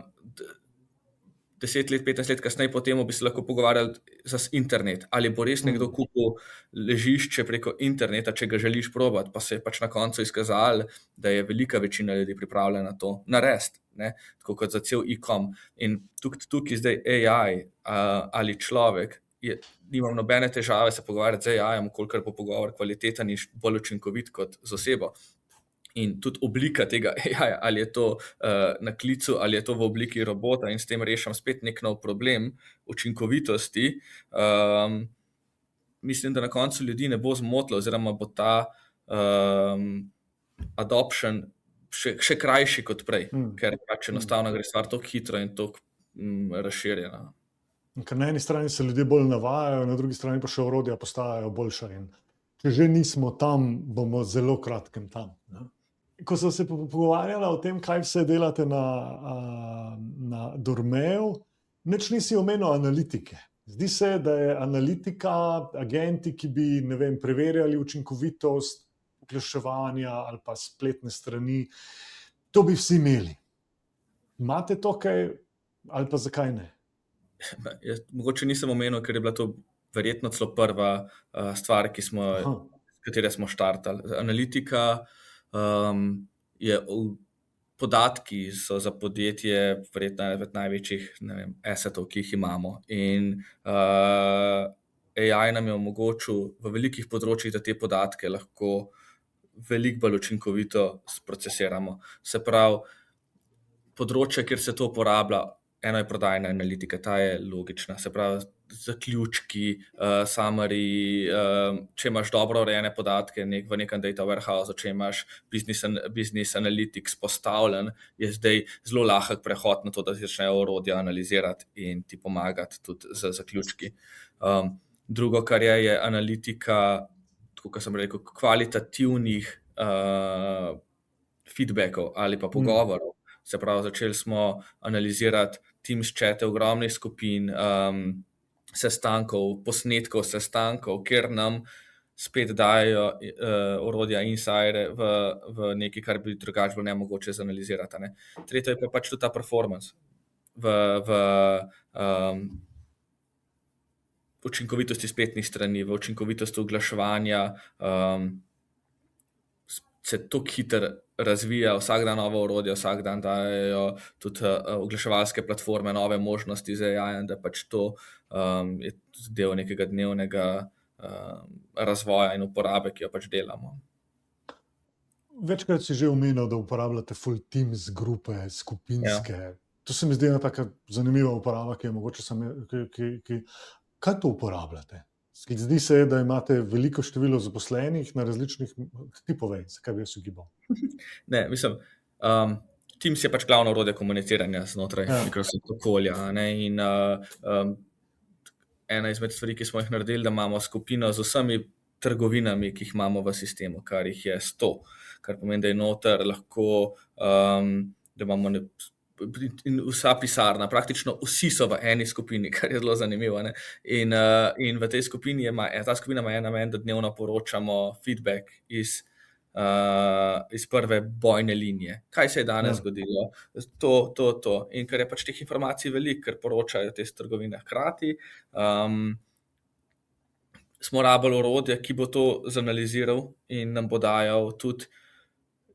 deset let, petnajst let kasneje potem bi se lahko pogovarjali za internet, ali bo res nekdo kupil ležišče preko interneta, če ga želiš probati, pa se je pač na koncu izkazalo, da je velika večina ljudi pripravljena to narediti, ne? Tako kot za cel e-com. In tukaj, tukaj zdaj A I uh, ali človek, je, nimam nobene težave se pogovarjati z A I-jem, kolikor bo pogovor kvaliteten in bolj učinkovit kot z osebo. In tudi oblika tega A I-ja, ali je to uh, na klicu, ali je to v obliki robota in s tem rešam spet nek nov problem učinkovitosti, um, mislim, da na koncu ljudi ne bo zmotilo, oziroma bo ta um, adoption še, še krajši kot prej, mm. ker pač enostavno gre stvar tako hitro in tako mm, razširjena. Ker na eni strani se ljudje bolj navajajo, na drugi strani pa še orodja postajajo boljša in če že nismo tam, bomo zelo kratkem tam. Ne? Ko sem se pogovarjala o tem, kaj vse delate na, na Dormeju, nič nisi omenil analitike. Zdi se, da je analitika, agenti, ki bi, ne vem, preverjali učinkovitost oglaševanja ali pa spletne strani, to bi vsi imeli. Imate to kaj ali pa zakaj ne? Jaz, mogoče nisem omenil, ker je bila to verjetno celo prva uh, stvar, ki smo, katere smo štartali. Analitika Um, je podatki so za podjetje verjetno eden največjih ne vem, assetov, ki jih imamo. In uh, A I nam je omogočil v velikih področjih, da te podatke lahko veliko bolj učinkovito sprocesiramo. Se pravi, področje, kjer se to uporablja, eno je prodajna analitika, ta je logična. Se pravi, zaključki, uh, summary, uh, če imaš dobro urejene podatke nek, v nekem data warehouse, če imaš business, business analytics postavljen, je zdaj zelo lahek prehod na to, da začnejo orodja analizirati in ti pomagati tudi z zaključki. Um, drugo, kar je, je analitika, tako kot sem rekel, kvalitativnih uh, feedbackov ali pa pogovorov. Mm. Se pravi, začeli smo analizirati Teams chate ogromnih skupin, um, sestankov, posnetkov sestankov, kjer nam spet dajo uh, orodja inside v, v nekaj, kar bi drugače bilo nemogoče zanalizirati. Ne? Tretje je pa pač tudi ta performance v, v um, učinkovitosti spletnih strani, v učinkovitosti oglaševanja, um, se tako hitro razvija, vsak dan nova orodja, vsak dan dajo tudi uh, oglaševalske platforme, nove možnosti z A I-jem, da pač to um, je del nekega dnevnega um, razvoja in uporabe, ki jo pač delamo. Večkrat si že omenil, da uporabljate full teams grupe, skupinske. Ja. To se mi zdi ena taka zanimiva uporaba, ki je mogoče same, ki, ki, ki... Kaj to uporabljate? Zdi se, da imate veliko število zaposlenih na različnih tipovej, zakaj bi jaz ugibal? Ne, mislim, um, Teams je pač glavno orodje komuniciranja znotraj ja. Microsoft okolja. Ne? In uh, um, ena izmed stvari, ki smo jih naredili, da imamo skupino z vsemi trgovinami, ki jih imamo v sistemu, kar jih je sto, kar pomeni, da je noter lahko, um, da imamo ne, in vsa pisarna, praktično vsi so v eni skupini, kar je zelo zanimivo. Ne? In, uh, in v tej skupini ima, ta skupina ima en namen, da dnevno poročamo feedback iz, uh, iz prve bojne linije. Kaj se je danes ja. zgodilo? To, to, to. In ker je pač teh informacij veliko, ker poročajo te trgovine hkrati, um, smo rabili orodje, ki bo to zanaliziral in nam bo dajal tudi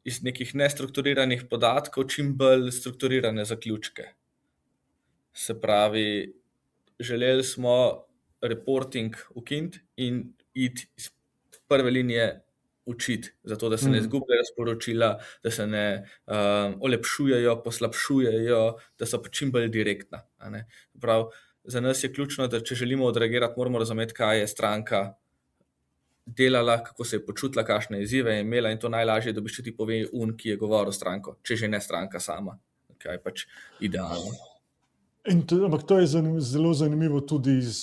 iz nekih nestrukturiranih podatkov čim bolj strukturirane zaključke. Se pravi, želeli smo reporting ukiniti in iti iz prve linije učiti, zato da se ne izgubljajo sporočila, da se ne um, olepšujejo, poslabšujejo, da so pa čim bolj direktna. A ne? Prav, za nas je ključno, da če želimo odreagirati, moramo razumeti, kaj je stranka delala, kako se je počutila, kakšne izzive je imela in to najlažje, da bi še ti pove un, ki je govoril stranko, če že ne stranka sama, kaj je pač idealno. In to, ampak to je zanimivo, zelo zanimivo tudi iz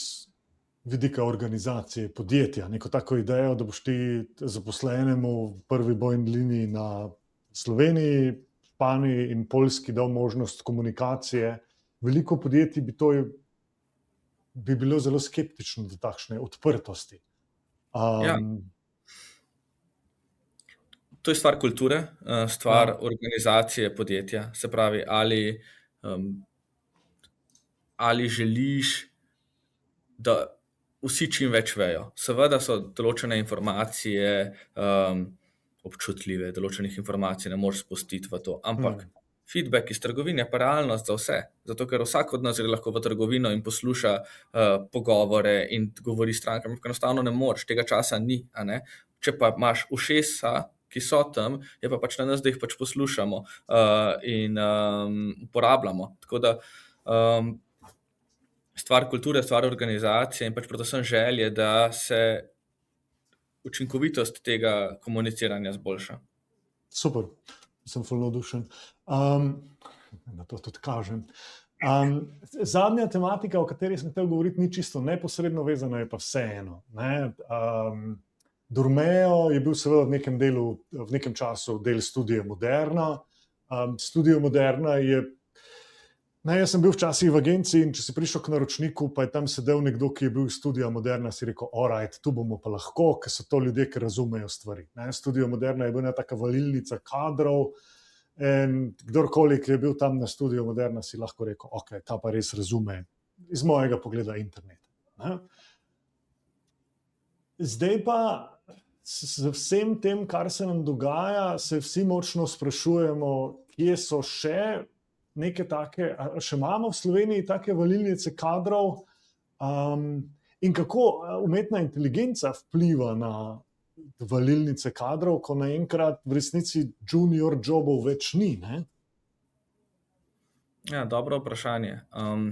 vidika organizacije podjetja, neko tako idejo, da boš ti zaposlenemu v prvi bojni liniji na Sloveniji, Španiji in Poljski dal možnost komunikacije. Veliko podjetij bi to bi bilo zelo skeptično do takšne odprtosti. Um, Ja. To je stvar kulture, stvar Ja. organizacije podjetja. Se pravi, ali, um, ali želiš, da vsi čim več vejo. Seveda so določene informacije um, občutljive, določenih informacij ne moreš spustiti v to, ampak Hmm. feedback iz trgovine je pa realnost za vse. Zato, ker vsak od nas gre lahko v trgovino in posluša uh, pogovore in govori s strankami, ampak enostavno ne moreš, tega časa ni, a ne. Če pa imaš ušesa, ki so tam, je pa pač na nas, da jih pač poslušamo uh, in um, uporabljamo. Tako da um, stvar kulture, stvar organizacije in pač predvsem želje, da se učinkovitost tega komuniciranja zboljša. Super, sem ful navdušen. Um, na to tudi kažem. Um, zadnja tematika, o kateri sem hotel govoriti, ni čisto neposredno vezana, je pa vseeno. Ne? Um, Durmeo je bil seveda v nekem delu, v nekem času del Studia Moderna. Um, Studio Moderna je, ne, jaz sem bil včasih v agenciji in če si prišel k naročniku, pa je tam sedel nekdo, ki je bil iz Studia Moderna, si rekel, alright, tu bomo pa lahko, ker so to ljudje, ki razumejo stvari. Ne? Studio Moderna je bila taka valilnica kadrov in kdorkoli, ki je bil tam na Studio Moderna, si lahko rekel, ok, ta pa res razume iz mojega pogleda internet. Ne? Zdaj pa z vsem tem, kar se nam dogaja, se vsi močno sprašujemo, kje so še neke take, še imamo v Sloveniji take valilnice kadrov um, in kako umetna inteligenca vpliva na valilnice kadrov, ko naenkrat v resnici junior jobov več ni, ne? Ja, dobro vprašanje. Um,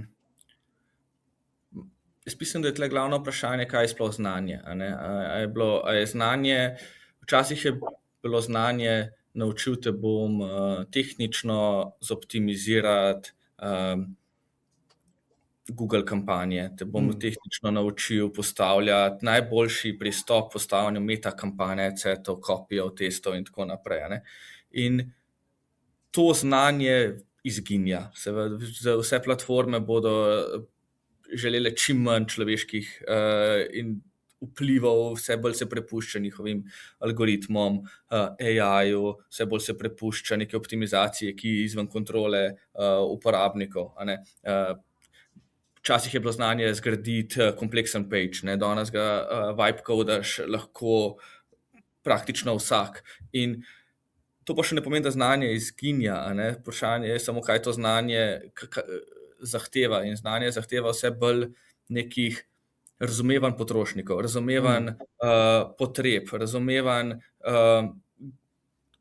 jaz mislim, da je tle glavno vprašanje, kaj je sploh znanje, a ne? A, a je bilo, a je znanje, včasih je bilo znanje, naučil te bom uh, tehnično zoptimizirati um, Google kampanje, te bom Mm. tehnično naučil postavljati najboljši pristop postavljanju meta kampanje, cetov, kopijov, testov in tako naprej, a ne? In to znanje izginja. Seveda, vse platforme bodo želele čim manj človeških uh, in vplival, vse bolj se prepušča njihovim algoritmom, uh, A I-ju, vse bolj se prepušča neke optimizacije, ki je izven kontrole uh, uporabnikov, a ne. Uh, Včasih je bilo znanje zgraditi uh, kompleksen page, ne, danes ga uh, vibe codaš lahko praktično vsak. In to pa še ne pomeni, da znanje izginja, a ne. Vprašanje je samo, kaj to znanje zahteva, in znanje zahteva vse bolj nekih razumevanj potrošnikov, razumevanj Mm. uh, potreb, razumevanj, uh,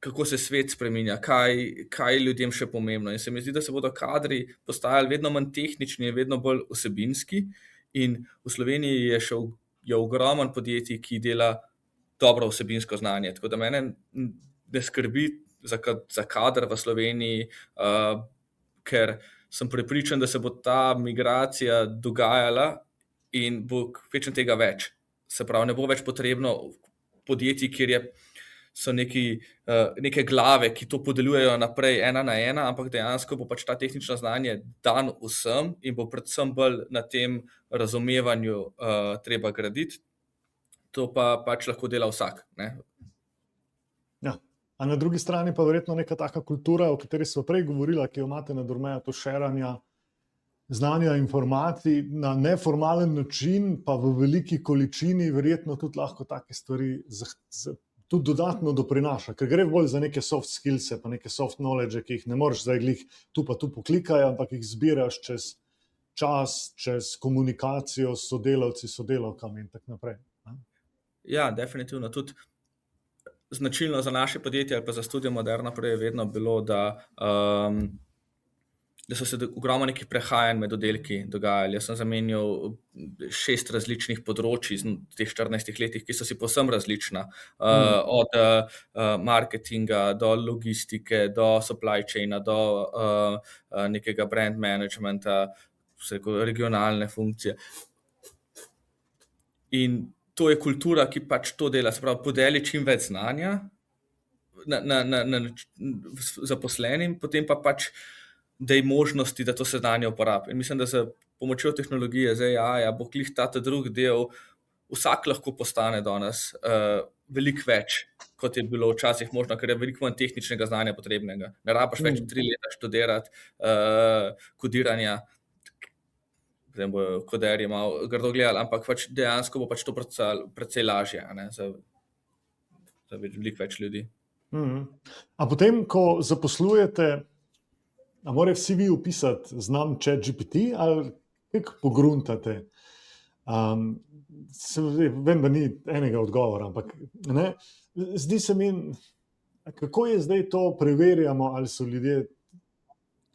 kako se svet spreminja, kaj, kaj je ljudem še pomembno. In se mi zdi, da se bodo kadri postajali vedno manj tehnični in vedno bolj vsebinski. In v Sloveniji je še je ogromen podjetij, ki dela dobro vsebinsko znanje. Tako da mene ne skrbi za, za kader v Sloveniji, uh, ker sem prepričan, da se bo ta migracija dogajala in bo kvečem tega več. Se pravi, ne bo več potrebno podjetij, kjer je, so neki, uh, neke glave, ki to podeljujejo naprej ena na ena, ampak dejansko bo pač ta tehnično znanje dan vsem in bo predvsem bolj na tem razumevanju uh, treba graditi. To pa pač lahko dela vsak, ne? Ja. A na drugi strani pa verjetno neka taka kultura, o kateri smo prej govorila, ki jo imate na Durmeju, to šeranja znanja, informacij na neformalen način, pa v veliki količini, verjetno tudi lahko take stvari tudi dodatno doprinaša, ker gre bolj za neke soft skills, pa neke soft knowledge, ki jih ne moreš zdaj glih tu pa tu poklikaj, ampak jih zbiraš čez čas, čez komunikacijo s sodelavci, sodelavkami in tako naprej. Ja, definitivno. Tudi značilno za naše podjetje ali pa za Studio Moderna prej je vedno bilo, da, um, da so se ogromno nekih prehajanj med oddelki dogajali. Jaz sem zamenjal šest različnih področij v teh štirinajstih letih, ki so si povsem različna. Uh, mm. Od uh, marketinga do logistike, do supply chaina, do uh, uh, nekega brand managementa, regionalne funkcije. In to je kultura, ki pač to dela, se pravi, podeli čim več znanja na, na, na, na zaposlenim, potem pa pač daj možnosti, da to se znanje uporabi. In mislim, da z pomočjo tehnologije, z A I, bo klih ta drug del, vsak lahko postane danes uh, veliko več, kot je bilo včasih možno, ker je veliko manj tehničnega znanja potrebnega. Ne rabaš več tri leta študirati uh, kodiranja, zdaj bo koderji malo grdo gledali, ampak pač dejansko bo pač to precej, precej lažje, ne, za, za veliko več ljudi. Mm-hmm. A potem, ko zaposlujete, a morajo vsi vi upisati znam ChatGPT ali kako pogruntate? Um, se, vem, da ni enega odgovora, ampak ne, zdi se mi, kako je zdaj to preverjamo, ali so ljudje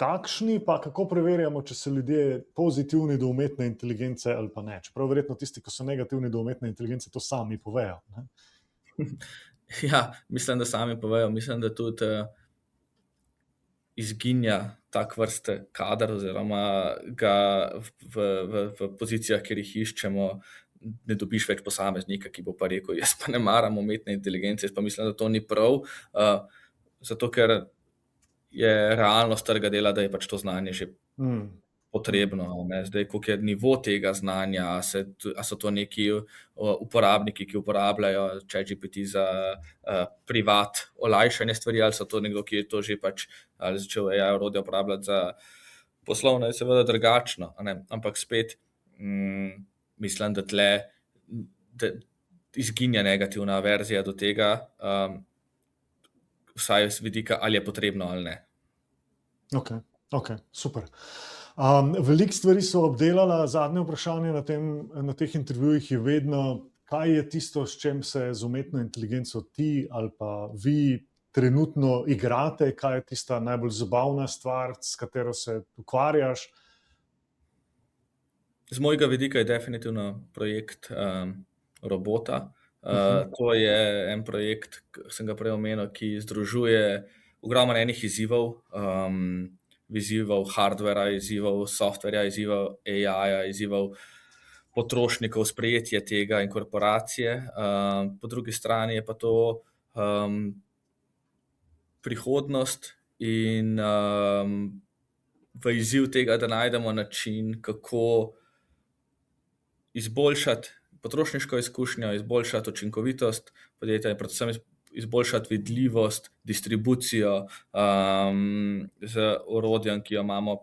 takšni, pa kako preverjamo, če so ljudje pozitivni do umetne inteligence ali pa ne. Čeprav verjetno tisti, ki so negativni do umetne inteligence, to sami povejo. Ne? Ja, mislim, da sami povejo. Mislim, da tudi uh, izginja tak vrste kader oziroma ga v, v, v pozicijah, kjer jih iščemo, ne dobiš več posameznika, ki bo pa rekel, jaz pa ne maram umetne inteligence, jaz pa mislim, da to ni prav, uh, zato ker je realnost trga dela, da je pač to znanje že mm. potrebno. Ne? Zdaj, koliko je nivo tega znanja, a, se, a so to neki uporabniki, ki uporabljajo ChatGPT za uh, privat olajšanje stvari, ali so to nekdo, ki je to že pač ali začel A I orodje uporabljati za poslovno, je seveda drugačno. Ne? Ampak spet mm, mislim, da tle da izginja negativna verzija do tega, um, vsaj z vidika, ali je potrebno ali ne. Ok, ok, super. Um, veliko stvari so obdelala, zadnje vprašanje na, tem, na teh intervjujih je vedno, kaj je tisto, s čem se z umetno inteligenco ti ali pa vi trenutno igrate, kaj je tista najbolj zabavna stvar, s katero se ukvarjaš? Z mojega vidika je definitivno projekt um, robota. Uh, to je en projekt, sem ga prej omenil, ki združuje ogromno enih izzivov, um, izzivov hardvera, izzivov softverja, izzivov A I-ja, izzivov potrošnikov, sprejetje tega in korporacije. Um, po drugi strani je pa to um, prihodnost in um, v izziv tega, da najdemo način, kako izboljšati potrošniško izkušnjo, izboljšati učinkovitost podjetja in predvsem izboljšati vidljivost, distribucijo um, z orodjem, ki jo imamo,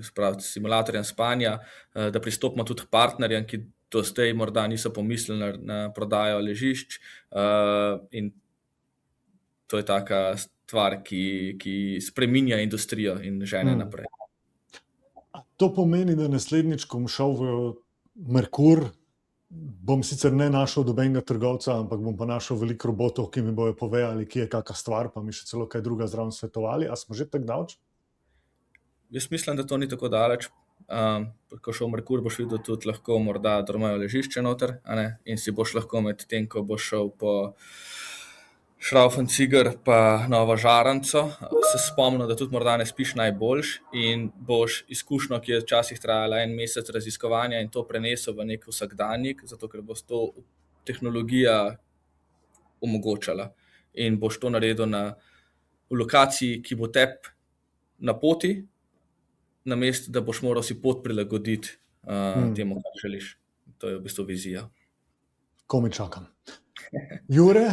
spravi, simulatorjem spanja, uh, da pristopimo tudi k partnerjem, ki do zdaj morda niso pomislili na, na prodajo ležišč uh, in to je taka stvar, ki, ki spreminja industrijo in žene hmm. naprej. To pomeni, da naslednjič, ko bom šel v Merkur, bom sicer ne našel dobenega trgovca, ampak bom pa našel veliko robotov, ki mi bojo povedali, ki je kakšna stvar, pa mi še celo kaj druga zraven svetovali. A smo že tako daleč? Jaz mislim, da to ni tako daleč. Um, ko šel v Merkur, boš videl tudi lahko morda dormajo ležišče noter, a ne? In si boš lahko med tem, ko boš šel po Šraufen-Ciger pa Novo Žaranco, se spomnil, da tudi morda ne spiš najboljš in boš izkušnjo, ki je včasih trajala en mesec raziskovanja in to prenesel v nek vsakdanjik, zato ker bo to tehnologija omogočala in boš to naredil na v lokaciji, ki bo tep na poti, namesto da boš moral si pot prilagoditi uh, hmm. temu, kar želiš. To je v bistvu vizija. Ko mi čakam. Jure,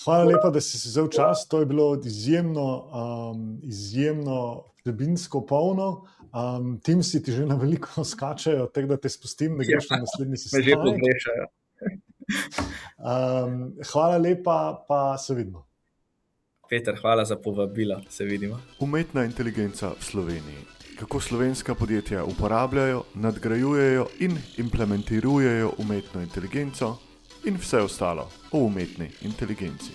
hvala lepa, da si si vzel čas. To je bilo izjemno, um, izjemno vsebinsko polno. Um, Teamsi ti že na veliko skačajo, tako da te spustim, da greš na naslednji sestanek. Me že pogrešajo. um, hvala lepa, pa se vidimo. Peter, hvala za povabilo. Se vidimo. Umetna inteligenca v Sloveniji. Kako slovenska podjetja uporabljajo, nadgrajujejo in implementirajo umetno inteligenco in vse ostalo o umetni inteligenci.